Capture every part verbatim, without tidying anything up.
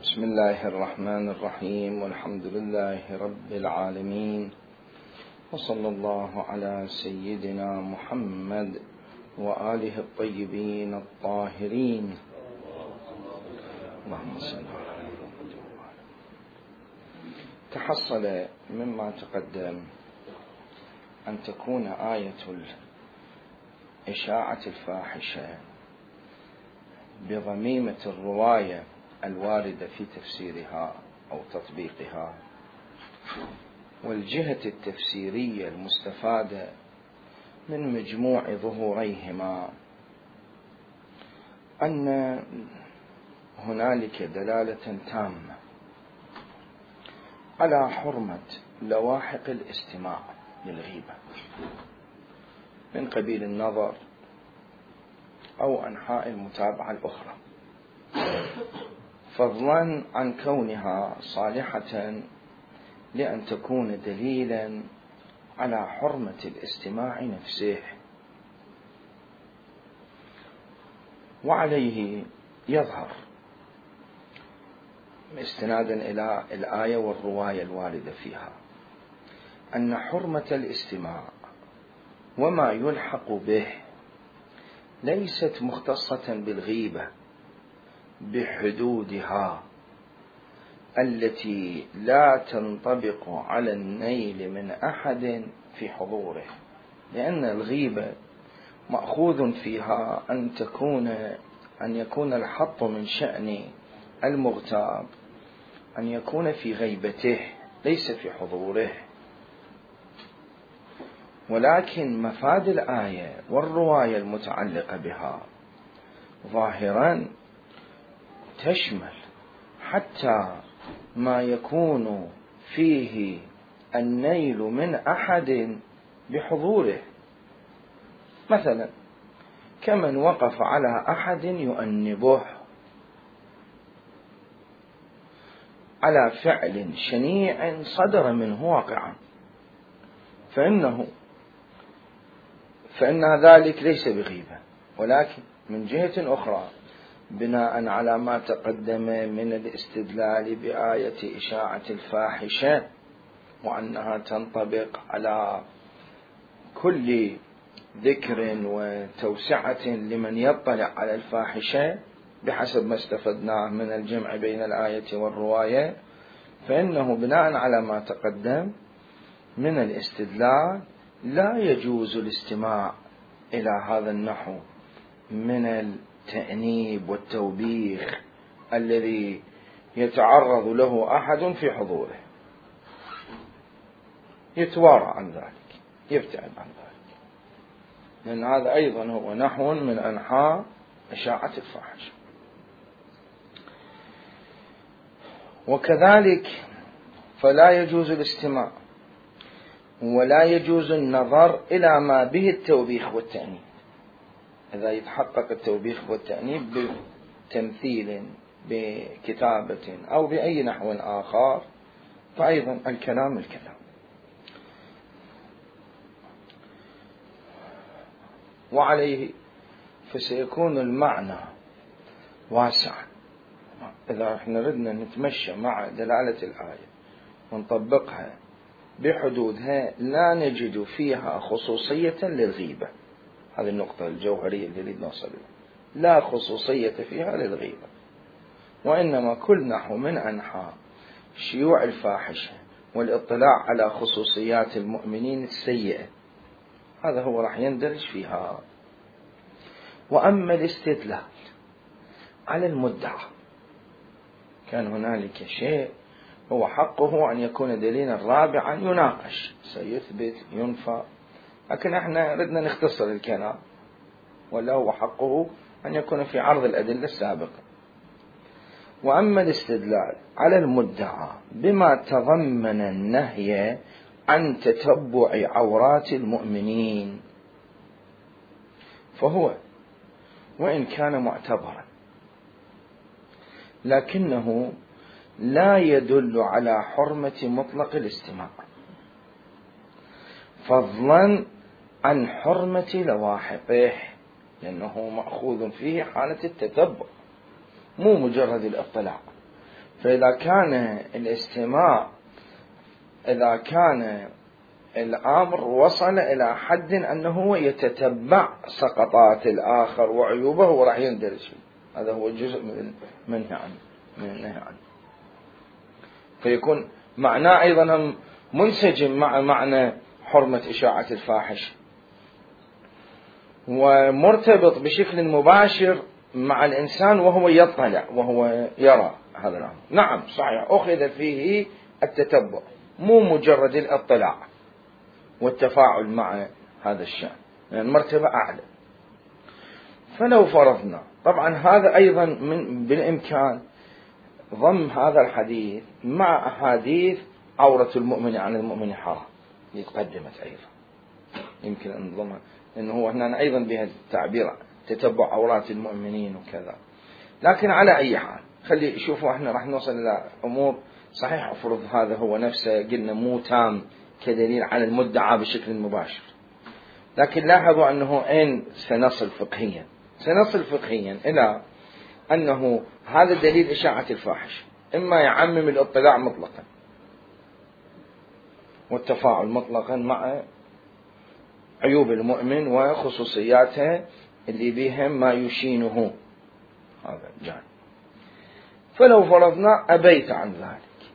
بسم الله الرحمن الرحيم، والحمد لله رب العالمين، وصلى الله على سيدنا محمد وآله الطيبين الطاهرين. اللهم صل على محمد. تحصل مما تقدم أن تكون آية إشاعة الفاحشة بضميمة الرواية الواردة في تفسيرها أو تطبيقها، والجهة التفسيرية المستفادة من مجموع ظهوريهما، أن هنالك دلالة تامة على حرمة لواحق الاستماع للغيبة من قبيل النظر أو أنحاء المتابعة الأخرى، فضلا عن كونها صالحة لأن تكون دليلا على حرمة الاستماع نفسه. وعليه يظهر استنادا إلى الآية والرواية الواردة فيها أن حرمة الاستماع وما يلحق به ليست مختصة بالغيبة بحدودها التي لا تنطبق على النيل من أحد في حضوره، لأن الغيبة مأخوذ فيها أن تكون أن يكون الحط من شأن المغتاب أن يكون في غيبته ليس في حضوره. ولكن مفاد الآية والرواية المتعلقة بها ظاهرا تشمل حتى ما يكون فيه النيل من أحد بحضوره، مثلا كمن وقف على أحد يؤنبه على فعل شنيع صدر منه واقعا، فإنه فإن ذلك ليس بغيبة. ولكن من جهة أخرى بناء على ما تقدم من الاستدلال بآية إشاعة الفاحشة وأنها تنطبق على كل ذكر وتوسعة لمن يطلع على الفاحشة بحسب ما استفدناه من الجمع بين الآية والرواية، فإنه بناء على ما تقدم من الاستدلال لا يجوز الاستماع إلى هذا النحو من التأنيب والتوبيخ الذي يتعرض له أحد في حضوره، يتوارى عن ذلك، يبتعد عن ذلك، لأن هذا أيضا هو نحو من أنحاء إشاعة الفاحشة. وكذلك فلا يجوز الاستماع ولا يجوز النظر إلى ما به التوبيخ والتأنيب، إذا يتحقق التوبيخ والتأنيب بتمثيل بكتابة أو بأي نحو آخر فأيضا الكلام الكلام. وعليه فسيكون المعنى واسعا إذا احنا ردنا نتمشى مع دلالة الآية ونطبقها بحدودها لا نجد فيها خصوصية للغيبة. هذه النقطة الجوهرية اللي نريد نوصل لها، لا خصوصية فيها للغيبة، وإنما كل نحو من أنحاء شيوع الفاحشة والاطلاع على خصوصيات المؤمنين السيئة هذا هو راح يندرج فيها. وأما الاستدلال على المدعى كان هنالك شيء هو حقه أن يكون دليلا رابعا يناقش سيثبت ينفى، لكن احنا ردنا نختصر الكلام، ولا هو حقه أن يكون في عرض الأدلة السابقة. وأما الاستدلال على المدعى بما تضمن النهي عن تتبع عورات المؤمنين فهو وإن كان معتبرا لكنه لا يدل على حرمة مطلق الاستماع، فضلا عن حرمة لواحقه، لأنه مأخوذ فيه حالة التتبع مو مجرد الاطلاع، فإذا كان الاستماع إذا كان الأمر وصل إلى حد أنه يتتبع سقطات الآخر وعيوبه وراح يندرج فيه، هذا هو جزء من المنهي عنه من النهي عنه. فيكون معناه أيضا منسجم مع معنى حرمة إشاعة الفاحش، ومرتبط بشكل مباشر مع الإنسان وهو يطلع وهو يرى هذا الأمر. نعم صحيح أخذ فيه التتبع، مو مجرد الاطلاع والتفاعل مع هذا الشأن، يعني مرتبة أعلى. فلو فرضنا، طبعا هذا أيضا من بالإمكان ضم هذا الحديث مع أحاديث عورة المؤمن عن المؤمن حرام اللي تقدمت أيضا، يمكن أن نضمها، لأنه هو هنا أيضا بهذا التعبير تتبع عورات المؤمنين وكذا. لكن على أي حال خلي شوفوا احنا راح نوصل إلى أمور صحيح أفرض هذا هو نفسه قلنا مو تام كدليل على المدعى بشكل مباشر، لكن لاحظوا أنه أين سنصل فقهيا؟ سنصل فقهيا إلى أنه هذا دليل إشاعة الفاحش إما يعمم الاطلاع مطلقا والتفاعل مطلقا مع عيوب المؤمن وخصوصياته اللي بهم ما يشينه هذا الجانب. فلو فرضنا أبيت عن ذلك،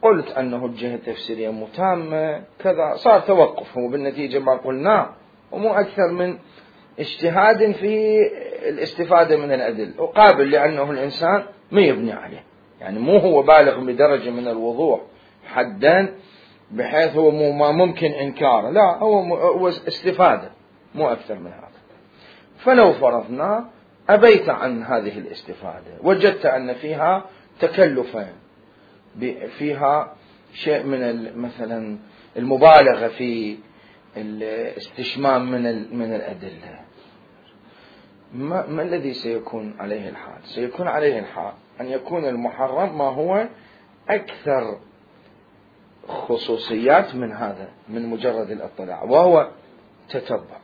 قلت أنه الجهة التفسيرية متامة كذا، صار توقف هو بالنتيجة ما قلناه، ومو أكثر من اجتهاد في الاستفادة من الأدلة، وقابل لأنه الإنسان ما يبني عليه، يعني مو هو بالغ بدرجة من الوضوح حدا بحيث هو مو ما ممكن إنكاره، لا هو, هو استفادة مو أكثر من هذا. فلو فرضنا أبيت عن هذه الاستفادة، وجدت أن فيها تكلفا، فيها شيء من مثلا المبالغة في الاستشمام من من الأدلة، ما, ما الذي سيكون عليه الحال؟ سيكون عليه الحال أن يكون المحرم ما هو أكثر خصوصيات من هذا، من مجرد الاطلاع، وهو تتبع.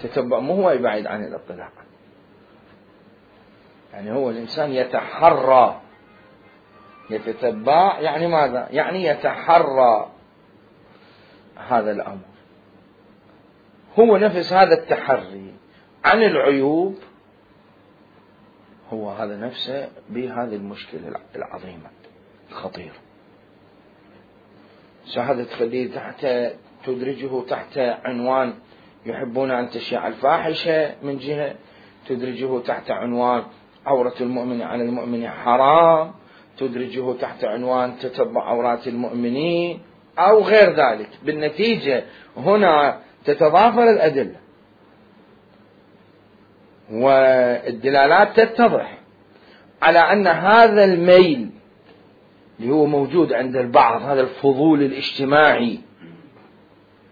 تتبع مو هو يبعد عن الاطلاع، يعني هو الإنسان يتحرى، يتتبع يعني ماذا؟ يعني يتحرى هذا الأمر، هو نفس هذا التحري عن العيوب هو هذا نفسه بهذه المشكلة العظيمة الخطيرة. هذا تخليه تحت تدرجه تحت عنوان يحبون أن تشيع الفاحشة، من جهة تدرجه تحت عنوان عورة المؤمن على المؤمن حرام، تدرجه تحت عنوان تتبع عورات المؤمنين أو غير ذلك. بالنتيجة هنا تتضافر الأدلة والدلالات تتضح على أن هذا الميل اللي هو موجود عند البعض، هذا الفضول الاجتماعي،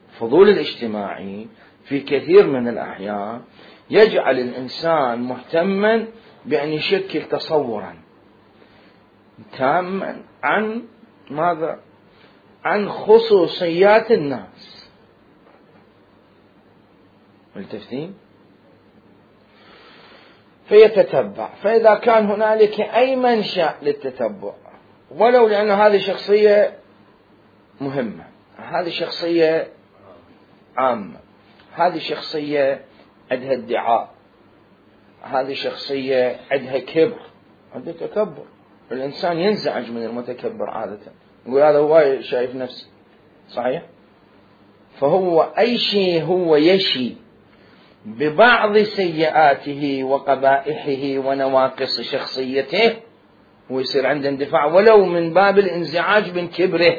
الفضول الاجتماعي في كثير من الأحيان يجعل الإنسان مهتما بأن يشكل تصورا تاما عن ماذا؟ عن خصوصيات الناس. ملتفتين؟ فيتتبع، فإذا كان هنالك أي منشأ للتتبع، ولو لأن هذه شخصية مهمة، هذه شخصية عامة، هذه شخصية عندها ادعاء، هذه شخصية عندها كبر، عندها تكبر، الإنسان ينزعج من المتكبر عادة، يقول هذا هو شايف نفسه، صحيح؟ فهو أي شيء هو يشي ببعض سيئاته وقبائحه ونواقص شخصيته ويصير عنده اندفاع ولو من باب الانزعاج من كبره،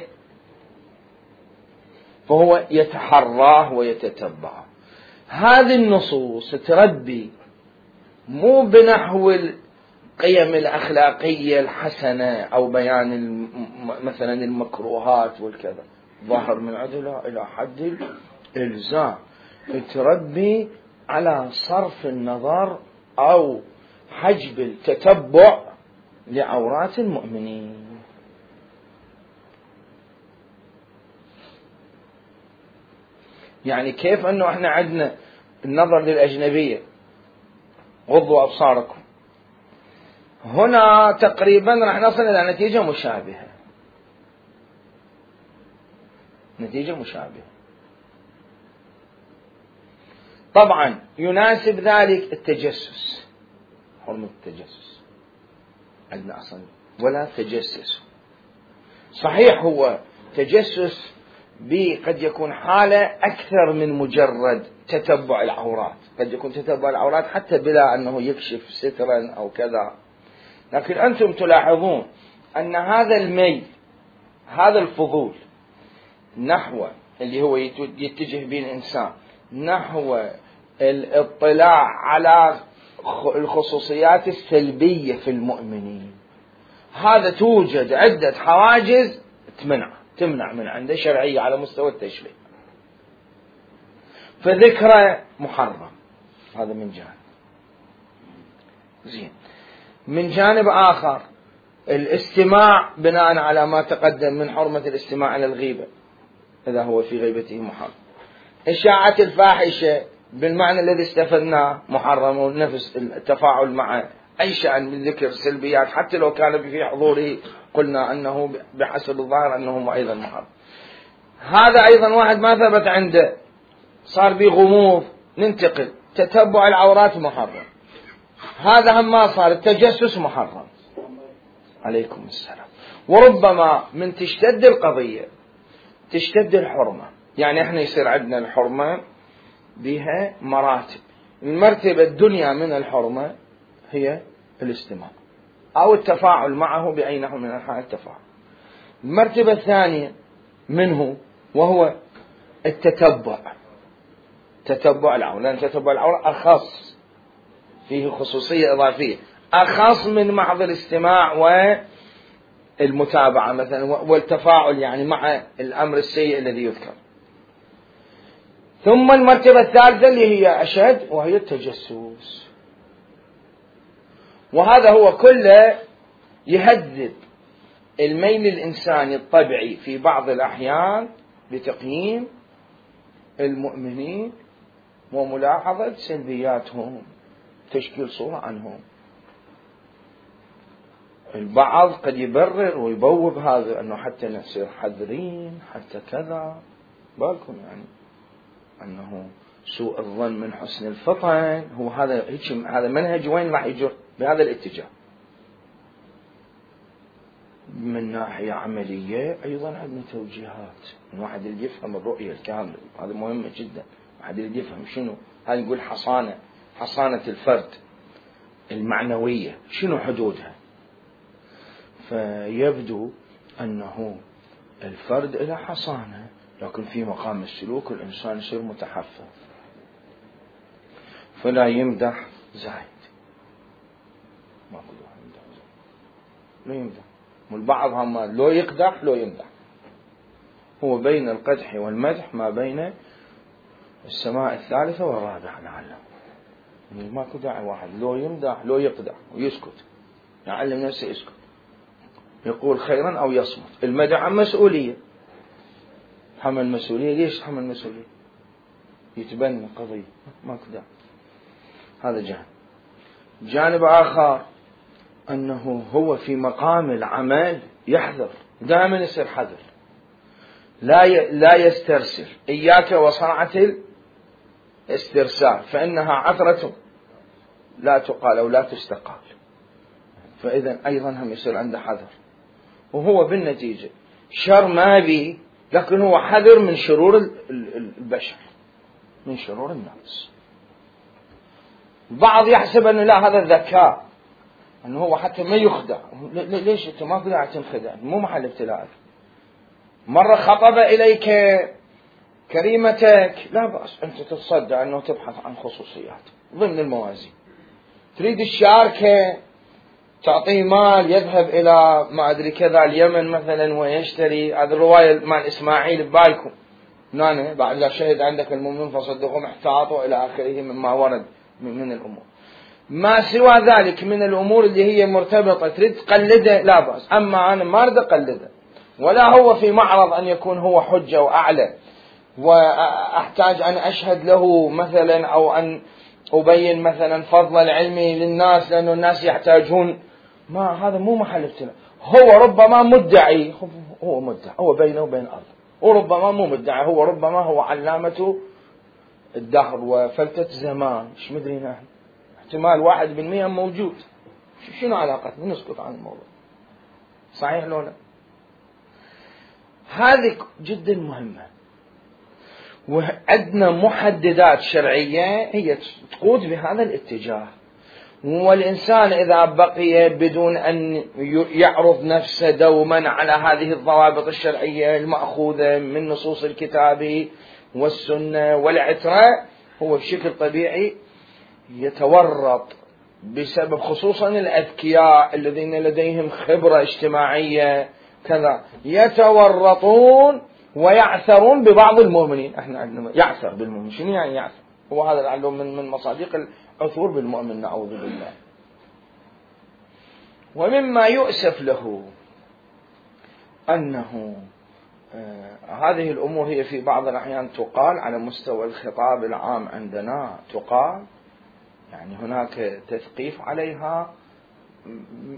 فهو يتحراه ويتتبعه. هذه النصوص تربي مو بنحو القيم الأخلاقية الحسنة أو بيان مثلا المكروهات والكذا، ظاهر من عدلها إلى حد الإلزام، تربي على صرف النظر أو حجب التتبع لعورات المؤمنين. يعني كيف أنه احنا عندنا النظر للأجنبية، غضوا أبصاركم، هنا تقريبا راح نصل إلى نتيجة مشابهة، نتيجة مشابهة. طبعا يناسب ذلك التجسس، حرمة التجسس عندنا أصلا ولا تجسس. صحيح هو تجسس قد يكون حالة أكثر من مجرد تتبع العورات، قد يكون تتبع العورات حتى بلا أنه يكشف سترا أو كذا، لكن أنتم تلاحظون أن هذا الميل، هذا الفضول نحو اللي هو يتجه به الإنسان نحو الاطلاع على الخصوصيات السلبية في المؤمنين، هذا توجد عدة حواجز تمنع تمنع من عنده شرعية على مستوى التشريع، فذكره محرم. هذا من جانب. زين. من جانب آخر الاستماع بناء على ما تقدم من حرمة الاستماع على الغيبة إذا هو في غيبته محرم. إشاعة الفاحشة بالمعنى الذي استفدناه محرم، ونفس التفاعل مع أي شأن من ذكر سلبيات حتى لو كان في حضوره قلنا أنه بحسب الظاهر أنه أيضا محرم. هذا أيضا واحد ما ثبت عنده صار به غموض ننتقل، تتبع العورات محرم، هذا هم ما صار التجسس محرم. عليكم السلام. وربما من تشتد القضية تشتد الحرمة، يعني احنا يصير عندنا الحرمة بها مراتب. المرتبة الدنيا من الحرمة هي الاستماع أو التفاعل معه بأي نحو من أنحاء التفاعل. المرتبة الثانية منه وهو التتبع، تتبع العورة، لأن تتبع العورة أخص، فيه خصوصية إضافية أخص من محض الاستماع والمتابعة مثلا والتفاعل يعني مع الأمر السيء الذي يذكر. ثم المرتبة الثالثة اللي هي أشد وهي التجسس، وهذا هو كله يهذب الميل الإنساني الطبيعي في بعض الأحيان لتقييم المؤمنين وملاحظة سلبياتهم، تشكيل صورة عنهم. البعض قد يبرر ويبوب هذا أنه حتى نصير حذرين حتى كذا، بالكم يعني أنه سوء الظن من حسن الفطن، هو هذا هذا منهج وين راح يجر بهذا الاتجاه. من ناحية عملية أيضا عندنا توجيهات، الواحد اللي يفهم الرؤية الكاملة، هذا مهمة جدا. الواحد اللي يفهم شنو هذا، نقول حصانة حصانة الفرد المعنوية شنو حدودها. فيبدو أنه الفرد له حصانة، لكن في مقام السلوك الإنسان يصير متحفظ، فلا يمدح زايد، ما أقول يمدح زايد، لا يمدح. والبعض هم لو يقدح لو يمدح، هو بين القدح والمدح ما بين السماء الثالثة والرابعة لعله. يعني ماكو داعي واحد لو يمدح لو يقدح ويسكت، يعلم نفسه يسكت، يقول خيرا أو يصمت. المدح عن مسؤولية، حمل مسؤولية. ليش حمل مسؤولية؟ يتبنى قضية، ماكو داعي. هذا جانب. جانب آخر أنه هو في مقام العمل يحذر، دائما يصير حذر، لا ي... لا يسترسل. إياك وصنعة الاسترسال فإنها عثرة لا تقال أو لا تستقال. فإذا أيضا هم يصير عنده حذر، وهو بالنتيجة شر ما بي، لكن هو حذر من شرور البشر، من شرور الناس. البعض يحسب أنه لا هذا الذكاء، أنه هو حتى ما يخدع. ليش أنت ما قدرت تنخدع؟ مو محل ابتلاءك. مرة خطب إليك كريمتك، لا بأس أنت تتصدع أنه تبحث عن خصوصيات ضمن الموازين. تريد الشاركة، تعطيه مال يذهب إلى ما أدري كذا اليمن مثلا ويشتري. هذه الرواية مال إسماعيل ببالكم، نانا بعد لا شهد عندك المؤمن فصدقهم احتاطوا إلى آخره مما ورد من الأمور. ما سوى ذلك من الأمور اللي هي مرتبطة تريد تقلده لا بأس، أما أنا ما أريد أقلده، ولا هو في معرض أن يكون هو حجة وأعلى وأحتاج أن أشهد له مثلا أو أن أبين مثلا فضل العلم للناس، لأن الناس يحتاجون ما هذا مو محل ابتلاء. هو ربما مدعي، هو مدعي، هو بينه وبين الله، وربما مو مدعي، هو ربما هو علامة الدهر وفلتة زمان، ايش مدري نحن، احتمال واحد بالمئة موجود، شنو علاقتنا نسكت عن الموضوع؟ صحيح لو لا؟ هذه جدا مهمة، وعندنا محددات شرعية هي تقود بهذا الاتجاه. والإنسان إذا بقي بدون أن يعرض نفسه دوما على هذه الضوابط الشرعية المأخوذة من نصوص الكتاب والسنة والعترة، هو بشكل طبيعي يتورط، بسبب خصوصا الأذكياء الذين لديهم خبرة اجتماعية كذا، يتورطون ويعثرون ببعض المؤمنين. احنا عندنا يعثر بالمؤمن، شنو يعني يعثر؟ هو هذا العلوم من من مصادق العثور بالمؤمن، نعوذ بالله. ومما يؤسف له أنه آه هذه الأمور هي في بعض الأحيان تقال على مستوى الخطاب العام عندنا، تقال يعني هناك تثقيف عليها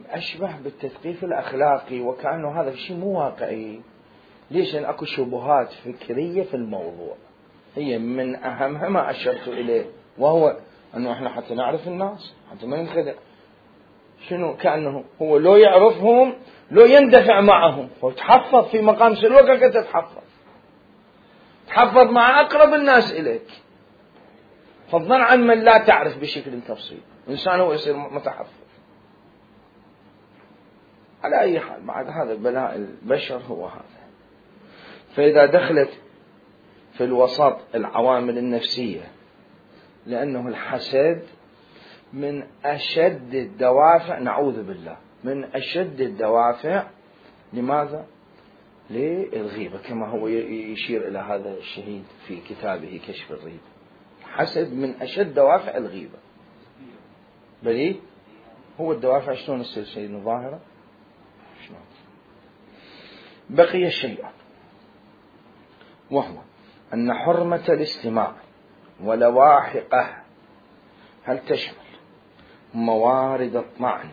أشبه بالتثقيف الأخلاقي، وكأنه هذا الشيء مو واقعي. ليش؟ لأن أكو شبهات فكرية في الموضوع، هي من أهمها ما أشرت إليه، وهو أنه إحنا حتى نعرف الناس، حتى ما ننخدع. شنو؟ كأنه هو لو يعرفهم لو يندفع معهم، وتحفظ في مقام سلوكك، تتحفظ تحفظ مع أقرب الناس إليك، فضلا عن من لا تعرف بشكل تفصيلي. إنسان هو يصير متحفظ. على أي حال، بعد هذا بلاء البشر هو هذا. فإذا دخلت في الوسط العوامل النفسية، لأنه الحسد من أشد الدوافع، نعوذ بالله، من أشد الدوافع. لماذا؟ للغيبة، كما هو يشير إلى هذا الشهيد في كتابه كشف الريبة. حسد من أشد دوافع الغيبة. بلي هو الدوافع شلون السلسلة ظاهرة؟ شلون؟ بقي الشيء، وهو أن حرمة الاستماع ولواحقه هل تشمل موارد الطعن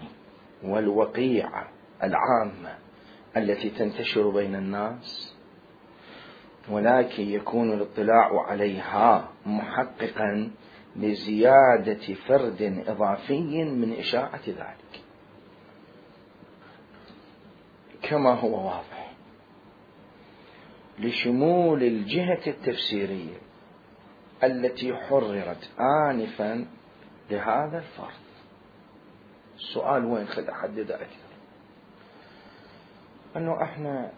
والوقيعة العامة التي تنتشر بين الناس، ولكن يكون الاطلاع عليها محققا لزيادة فرد إضافي من إشاعة ذلك، كما هو واضح لشمول الجهة التفسيرية التي حررت آنفا لهذا الفرض. السؤال وين خد أحدد أكثر؟ أنه إحنا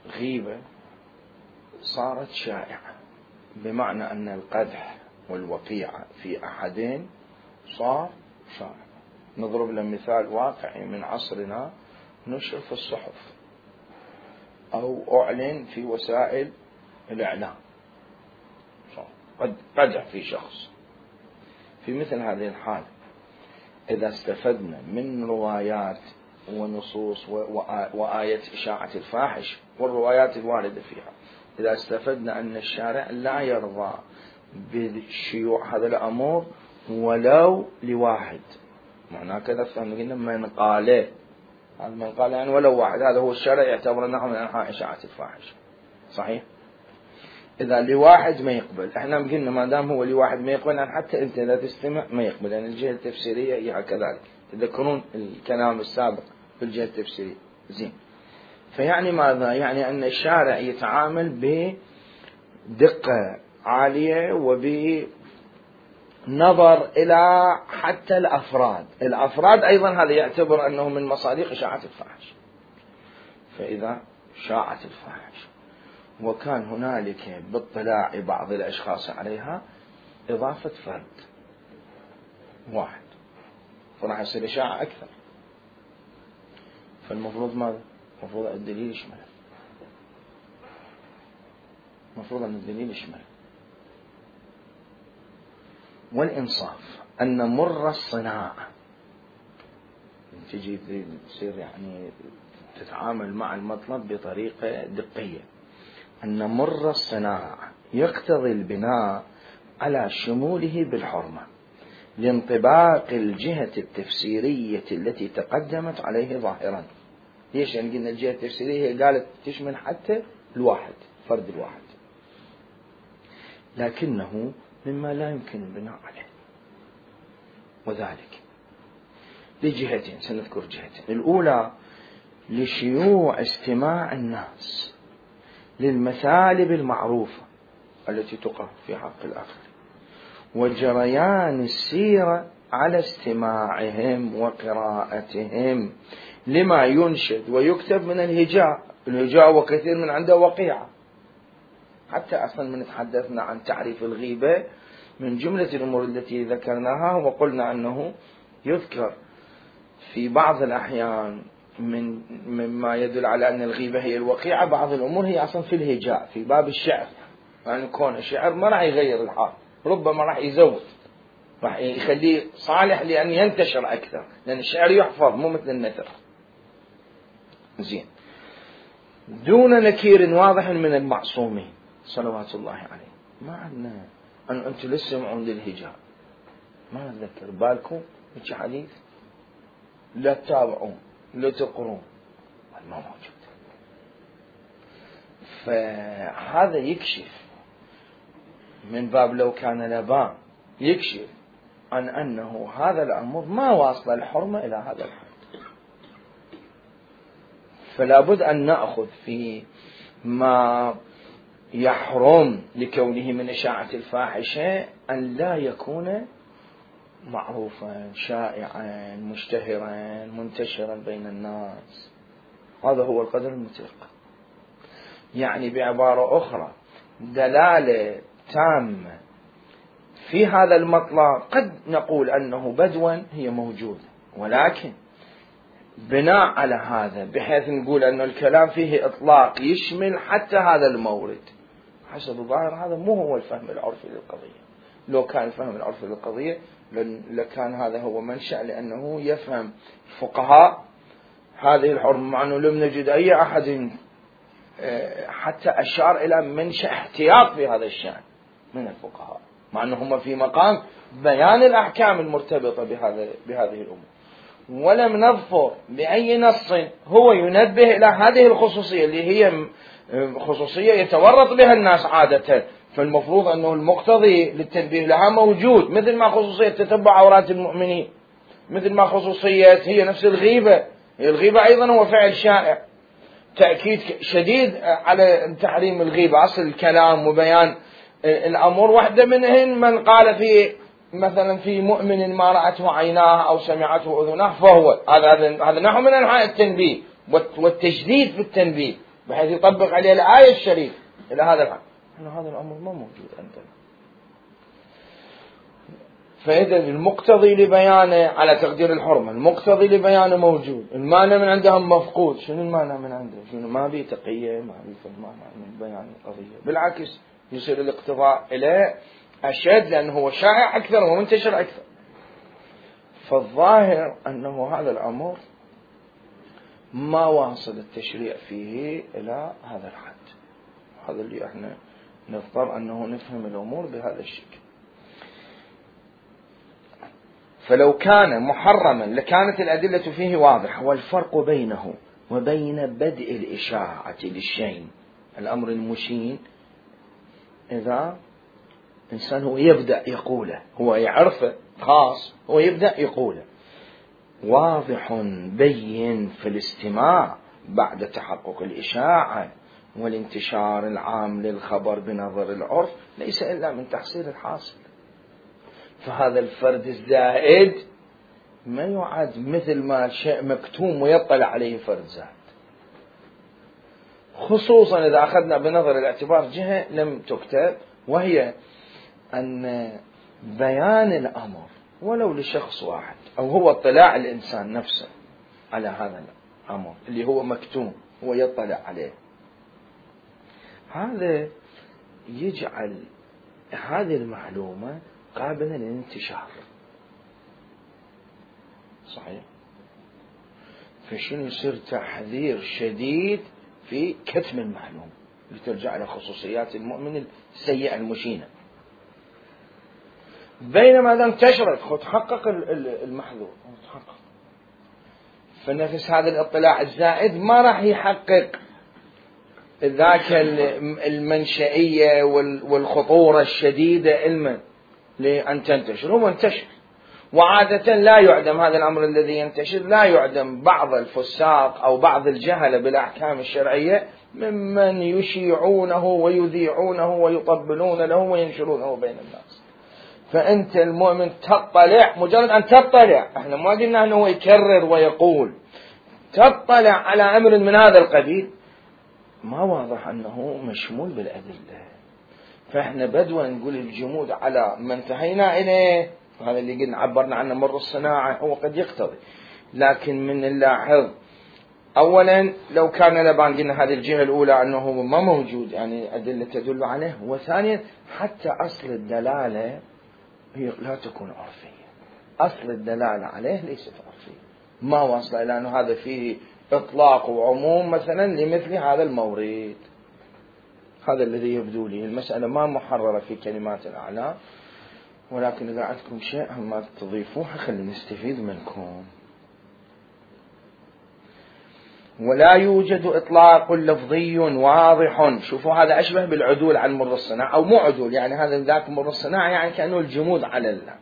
الغيبة صارت شائعة، بمعنى أن القدح والوقيعة في أحدين صار شائع. نضرب له مثال واقعي من عصرنا، نشر في الصحف أو أعلن في وسائل الإعلام قدح في شخص. في مثل هذه الحال إذا استفدنا من روايات ونصوص وآية إشاعة الفاحش والروايات الواردة فيها، إذا استفدنا أن الشارع لا يرضى بشيوع هذا الأمور ولو لواحد، معناه كذا فهمنا من قاله، هذا من قال يعني ولو واحد، هذا هو الشارع يعتبر أنه من أنحاء إشاعة الفاحش. صحيح؟ إذا لواحد ما يقبل، إحنا قلنا ما دام هو لواحد ما يقبل، يعني حتى أنت إذا تستمع ما يقبل، يعني الجهة التفسيرية هي كذلك. تذكرون الكلام السابق في الجهة التفسيرية. زين، فيعني ماذا؟ يعني أن الشارع يتعامل بدقة عالية وبنظر إلى حتى الأفراد. الأفراد أيضا هذا يعتبر أنه من مصادق إشاعة الفاحش. فإذا شاعت الفاحش وكان هنالك باطلاع بعض الأشخاص عليها إضافة فرد واحد، فراح يصير إشاعة أكثر. فالمفروض ماذا؟ المفروض الدليل يشمل، المفروض أن الدليل يشمل. والإنصاف أن مر الصناعة، تجي تصير يعني تتعامل مع المطلب بطريقة دقية، أن مر الصناعة يقتضي البناء على شموله بالحرمة، لانطباق الجهة التفسيرية التي تقدمت عليه ظاهرا. ليش؟ يعني قلنا الجهة التفسيرية هي قالت تشمل حتى الواحد، فرد الواحد، لكنه مما لا يمكن البناء عليه، وذلك لجهتين، سنذكر جهتين. الأولى لشيوع استماع الناس للمثالب المعروفة التي تقع في حق الآخر، وجريان السيرة على استماعهم وقراءتهم لما ينشد ويكتب من الهجاء. الهجاء وكثير من عنده وقيعة. حتى أصلا من تحدثنا عن تعريف الغيبة من جملة الأمور التي ذكرناها وقلنا أنه يذكر في بعض الأحيان من مما يدل على أن الغيبة هي الوقيعة، بعض الأمور هي أصلا في الهجاء في باب الشعر، يعني كون الشعر ما راح يغير الحال، ربما راح يزود، راح يخليه صالح لأن ينتشر أكثر، لأن الشعر يحفظ مو مثل النثر. زين، دون نكير واضح من المعصومين صلوات الله عليه. ما عندنا أن أنتم لسه سمعون للهجاء، ما أتذكر بالكم هيك حديث، لا تتابعون لا تقرون، ما موجود. فهذا يكشف من باب لو كان لبان، يكشف عن أنه هذا الأمر ما واصل الحرمة إلى هذا الحد. فلا بد أن نأخذ في ما يحرم لكونه من إشاعة الفاحشة أن لا يكون معروفا شائعا مشتهرا منتشرا بين الناس. هذا هو القدر المطلق. يعني بعبارة أخرى دلالة تامة في هذا المطلب. قد نقول أنه بدوا هي موجودة، ولكن بناء على هذا بحيث نقول أن الكلام فيه إطلاق يشمل حتى هذا المورد، حسب الظاهر هذا مو هو الفهم العرفي للقضية. لو كان الفهم العرفي للقضية لكان هذا هو منشأ، لأنه يفهم الفقهاء هذه الحرمة، مع أنه لم نجد أي أحد حتى أشار إلى منشأ احتياط في هذا الشأن من الفقهاء، مع أنهم في مقام بيان الأحكام المرتبطة بهذا بهذه الأمور. ولم نظفر بأي نص هو ينبه إلى هذه الخصوصية اللي هي خصوصية يتورط بها الناس عادة، فالمفروض أنه المقتضي للتنبيه لها موجود، مثل ما خصوصية تتبع عورات المؤمنين، مثل ما خصوصية هي نفس الغيبة. الغيبة أيضا هو فعل شائع، تأكيد شديد على تحريم الغيبة، أصل الكلام وبيان الأمور. واحدة منهن من قال في مثلا في مؤمن ما رأته عيناه أو سمعته أذناه فهو هذا هذا نحو من أنواع التنبيه والتشديد في التنبيه، بحيث يطبق عليه الآية الشريفة إلى هذا الحد. هذا الأمر ما موجود عندنا. فإذا المقتضي لبيانه على تقدير الحرمة، المقتضي لبيانه موجود، المانع من عندهم مفقود. شنو المانع من عنده؟ شنو ما بي تقية، ما بي فهمانة من بيان القضية، بالعكس يصير الاقتضاء إليه أشد لأنه هو شائع أكثر ومنتشر أكثر. فالظاهر أنه هذا الأمر ما واصل التشريع فيه إلى هذا الحد. هذا اللي احنا نضطر أنه نفهم الأمور بهذا الشكل. فلو كان محرما لكانت الأدلة فيه واضحة. والفرق بينه وبين بدء الإشاعة للشيء الأمر المشين، إذا إنسان هو يبدأ يقوله، هو يعرفه خاص، هو يبدأ يقوله، واضح بين في الاستماع بعد تحقق الإشاعة والانتشار العام للخبر بنظر العرف ليس إلا من تحصيل الحاصل. فهذا الفرد الزائد ما يعد مثل ما شيء مكتوم ويطلع عليه فرد زائد، خصوصا إذا أخذنا بنظر الاعتبار جهة لم تكتب، وهي أن بيان الأمر ولو لشخص واحد أو هو اطلاع الإنسان نفسه على هذا الأمر اللي هو مكتوم هو يطلع عليه، هذا يجعل هذه المعلومة قابلة للانتشار. صحيح. فشنو يصير تحذير شديد في كتم المعلومة لترجع إلى خصوصيات المؤمن السيئة المشينة. بينما إذا انتشرت خذ حقق المحذور تحقق. فنفس هذا الاطلاع الزائد ما راح يحقق ذاك المنشئية والخطورة الشديدة علما لأن تنتشر. هو انتشر، وعادة لا يعدم هذا الأمر الذي ينتشر، لا يعدم بعض الفساق أو بعض الجهلة بالأحكام الشرعية ممن يشيعونه ويذيعونه ويطبلون له وينشرونه بين الناس. فأنت المؤمن تطلع، مجرد أن تطلع، احنا ما قلنا أنه يكرر ويقول، تطلع على أمر من هذا القبيل ما واضح أنه مشمول بالأدلة. فإحنا بدوا نقول الجمود على ما انتهينا إليه، هذا اللي قلنا عبرنا عنه مر الصناعة، هو قد يقتضي، لكن من نلاحظ أولا لو كان لبان قلنا هذه الجهة الأولى أنه ما موجود يعني أدلة تدل عليه، وثانيا حتى أصل الدلالة هي لا تكون عرفية، أصل الدلالة عليه ليست عرفية، ما وصل إلى أنه هذا فيه إطلاق وعموم مثلا لمثل هذا المورد. هذا الذي يبدو لي. المسألة ما محررة في كلمات الأعلام، ولكن إذا عندكم شيء ما تضيفوه خلي نستفيد منكم. ولا يوجد إطلاق لفظي واضح. شوفوا هذا أشبه بالعدول عن مر الصناعة، أو مو عدول، يعني هذا ذاك مر الصناعة يعني كأنه الجمود على الله.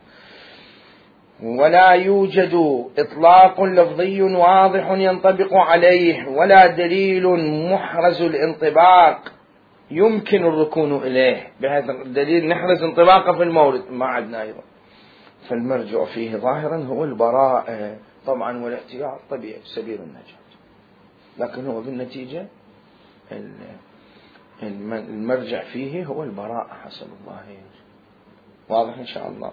ولا يوجد إطلاق لفظي واضح ينطبق عليه، ولا دليل محرز الانطباق يمكن الركون إليه، بهذا الدليل نحرز انطباقه في المورد ما عندنا أيضا. فالمرجع فيه ظاهرا هو البراءة طبعا، والاحتياط طبيعي سبيل النجاة، لكن هو بالنتيجة المرجع فيه هو البراءة حسب الظاهر. واضح إن شاء الله.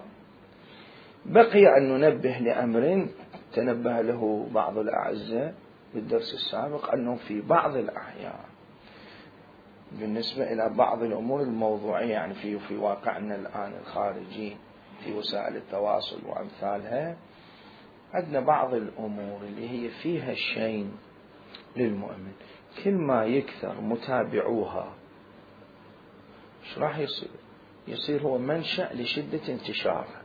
بقي أن ننبه لأمر تنبه له بعض الأعزاء بالدرس السابق، أنه في بعض الأحيان بالنسبة إلى بعض الأمور الموضوعية، يعني في في واقعنا الآن الخارجي في وسائل التواصل وأمثالها، عندنا بعض الأمور اللي هي فيها شيء للمؤمن، كل ما يكثر متابعوها ايش راح يصير؟ يصير هو منشأ لشدة انتشارها.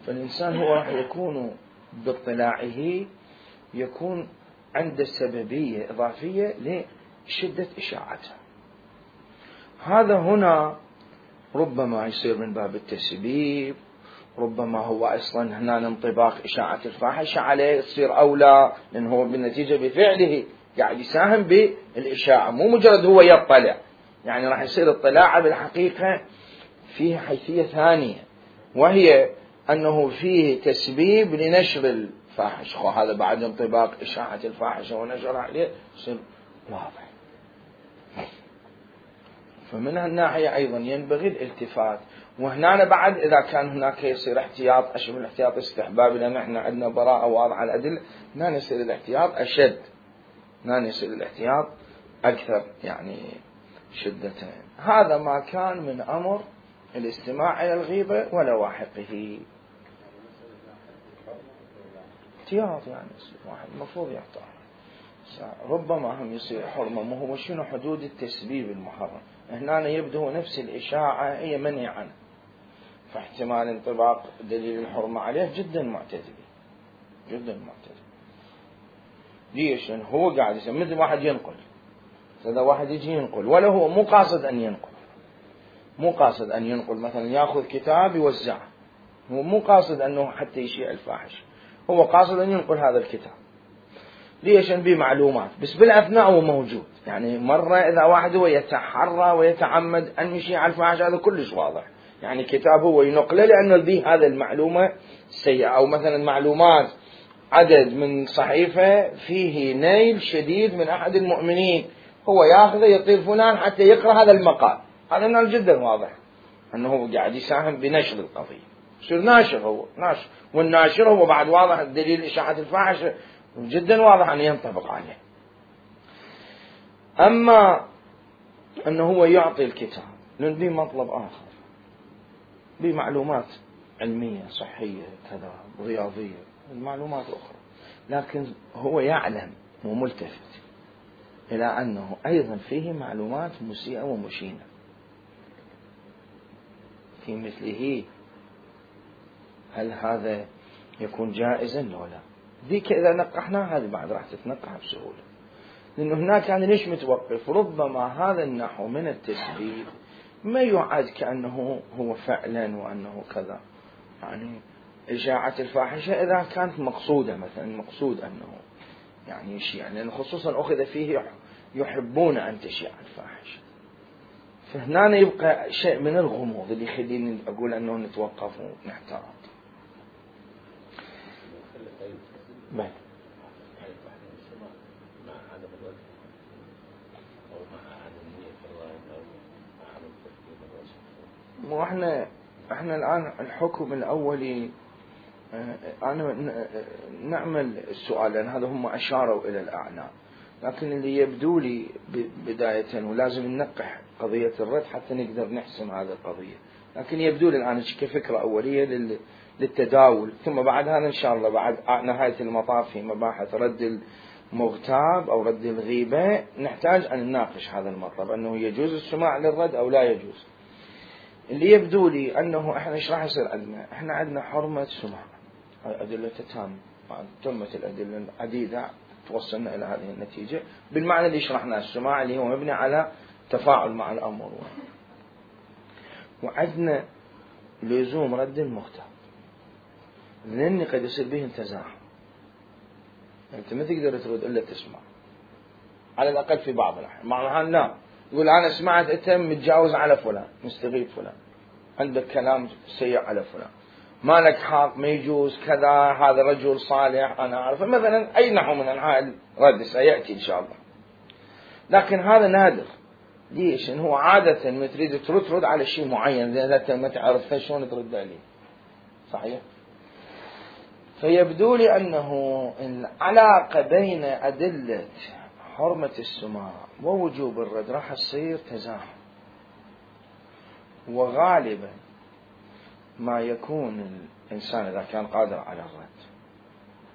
فالإنسان هو راح يكون باطلاعه يكون عنده سببية إضافية لشدة إشاعتها. هذا هنا ربما يصير من باب التسبيب، ربما هو أصلا هنا انطباق إشاعة الفاحشة عليه يصير أولى، لأنه هو بالنتيجة بفعله قاعد يساهم بالإشاعة، مو مجرد هو يطلع، يعني راح يصير اطلاعه بالحقيقة فيه حيثية ثانية، وهي أنه فيه تسبيب لنشر الفاحشة. هذا بعد انطباق إشاعة الفاحشة ونشرها عليه يصير واضح. فمن هالناحية أيضا ينبغي الالتفات. وهنا بعد إذا كان هناك يصير احتياط أشبه الاحتياط استحباب، لأن احنا عندنا براءة واضحة على الأدلة، هنا يصير الاحتياط أشد، هنا يصير الاحتياط أكثر يعني شدة. هذا ما كان من أمر الاستماع إلى الغيبة ولواحقه. احتياط يعني واحد المفروض يحتاط. ربما هم يصير حرمة، ما هو شنو حدود التسبيب المحرم؟ هنا يبدو نفس الإشاعة هي منهي عنه، فاحتمال انطباق دليل الحرمة عليه جدا معتدل جدا معتدل. ليش؟ لأن هو قاعد يسمى مثل واحد ينقل، إذا واحد يجي ينقل ولا هو مو قاصد أن ينقل، مو قاصد أن ينقل، مثلا يأخذ كتاب يوزعه، هو مو قاصد أنه حتى يشيع الفاحش، هو قاصد أن ينقل هذا الكتاب. ليش؟ به معلومات، بس بالأثناء هو موجود. يعني مرة إذا واحد هو يتحرى ويتعمد أن يشيع الفاحش هذا كلش واضح، يعني كتاب هو ينقله لأنه به هذا المعلومة السيئة، أو مثلا معلومات عدد من صحيفة فيه نيل شديد من أحد المؤمنين، هو ياخذه يطير فلان حتى يقرأ هذا المقال، هذا نال جدا واضح أنه هو قاعد يساهم بنشر القضية، يصير ناشر، هو ناشر، والناشر هو بعد واضح الدليل إشاعة الفاحشة جدا واضح أن ينطبق عليه. أما أنه هو يعطي الكتاب لأن به مطلب آخر، بمعلومات علمية صحية كذا رياضية معلومات أخرى، لكن هو يعلم وملتفت إلى أنه أيضا فيه معلومات مسيئة ومشينة، في مثله هل هذا يكون جائزا لو لا؟ ذيك إذا نقحنا هذه بعد راح تتنقح بسهولة، لأنه هناك يعني ليش متوقف؟ ربما هذا النحو من التسبيب ما يعد كأنه هو فعلا وأنه كذا، يعني إشاعة الفاحشة إذا كانت مقصودة، مثلا مقصود أنه يعني شيء، يعني خصوصا أخذ فيه يحبون أن تشيع الفاحشة، فهنا يبقى شيء من الغموض اللي يخليني أقول أنه نتوقف ونحتاط. بل مو احنا احنا الآن الحكم الأولي أنا نعمل السؤال، لأن هذا هم أشاروا إلى الأعناق، لكن اللي يبدو لي بداية ولازم ننقح قضية الرد حتى نقدر نحسم هذه القضية، لكن يبدو لي الآن كفكرة أولية للتداول، ثم بعد هذا إن شاء الله بعد نهاية المطاف في مباحث رد المغتاب أو رد الغيبة نحتاج أن نناقش هذا المطلب، أنه يجوز السماع للرد أو لا يجوز. اللي يبدو لي أنه إحنا إيش راح يصير عندنا؟ إحنا عندنا حرمة سماع، أدلة تام، تمت الأدلة العديدة توصلنا إلى هذه النتيجة بالمعنى اللي شرحناه، السماع اللي هو مبني على تفاعل مع الأمر، وعندنا لزوم رد المغتاب، لأن قد يصير به تزاحم، أنت ما تقدر ترد إلا تسمع على الأقل في بعض الأحيان. معناها نعم يقول أنا سمعت أنت متجاوز على فلان، مستغيب فلان، عندك كلام سيء على فلان، ما لك حق، ما يجوز كذا، هذا رجل صالح أنا أعرفه مثلا، أي نحو من أنواع الرد سيأتي إن شاء الله، لكن هذا نادر. ليش؟ إن هو عادة ما تريد ترد ترد على شيء معين، إذا أنت ما تعرفه شلون ترد عليه، صحيح؟ فيبدو لي أنه العلاقة بين أدلة حرمة السماع ووجوب الرد راح تصير تزاحم، وغالبا ما يكون الإنسان إذا كان قادر على الرد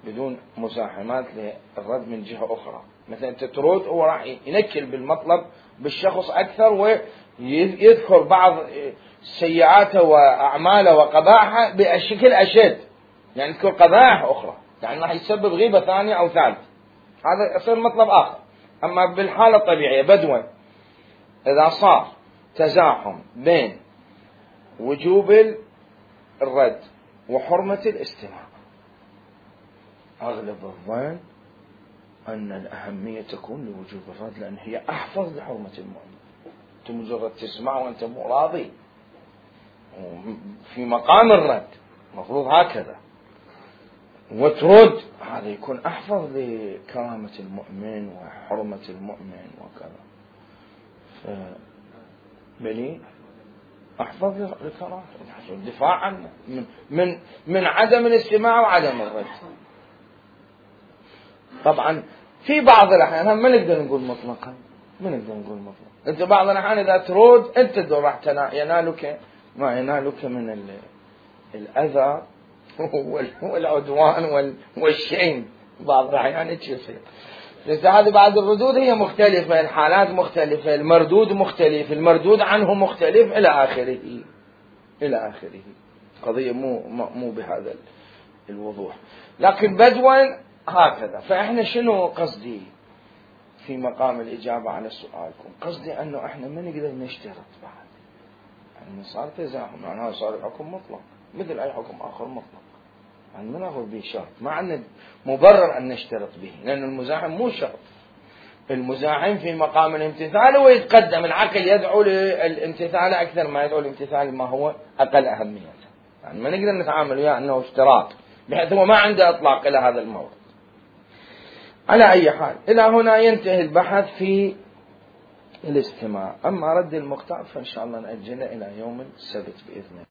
بدون مزاحمات للرد من جهة أخرى، مثلا تترد هو راح ينكل بالمطلب بالشخص أكثر ويذكر بعض سيئاته وأعماله وقبائحه بشكل أشد، يعني يذكر قبائح أخرى، يعني راح يسبب غيبة ثانية أو ثالثة، هذا يصير مطلب آخر. أما بالحالة الطبيعية بدوا إذا صار تزاحم بين وجوب الرد وحرمة الاستماع، أغلب الظن أن الأهمية تكون لوجوب الرد، لأن هي أحفظ لحرمة المؤمن. أنت مجرد تسمع وأنت مو راضي في مقام الرد مفروض هكذا، وترد هذا يكون أحفظ لكرامة المؤمن وحرمة المؤمن وكذا، بلي أحفظ لكرامة الدفاع عنه من, من, من عدم الاستماع وعدم الرد. طبعا في بعض الأحيان هم ما نقدر نقول مطلقا، ما نقدر نقول مطلقا، أنت بعض الأحيان إذا ترد أنت راح ينالك ما ينالك من الأذى والعدوان والشين، بعض الأحيان يصير، بس هذه بعد الردود هي مختلفة، الحالات مختلفة، المردود مختلف، المردود عنه مختلف إلى آخره إلى آخره، قضية مو مو بهذا الوضوح، لكن بدوا هكذا. فإحنا شنو قصدي في مقام الإجابة على سؤالكم؟ قصدي أنه إحنا ما نقدر نشترط بعد، يعني صار تزاحم، يعني هذا صار الحكم مطلق مثل أي حكم آخر مطلق، يعني ما نأخذ به شرط، ما عندنا مبرر أن نشترط به، لأن المزاحم مو شرط، المزاحم في مقام الامتثال ويتقدم، العقل يدعو للامتثال أكثر ما يدعو للامتثال ما هو أقل أهمية، يعني ما نقدر نتعامل وياه أنه اشتراط بحيث هو ما عنده إطلاق إلى هذا الموضوع. على أي حال إلى هنا ينتهي البحث في الاستماع. أما رد المغتاب فإن شاء الله نأجله إلى يوم السبت بإذن الله.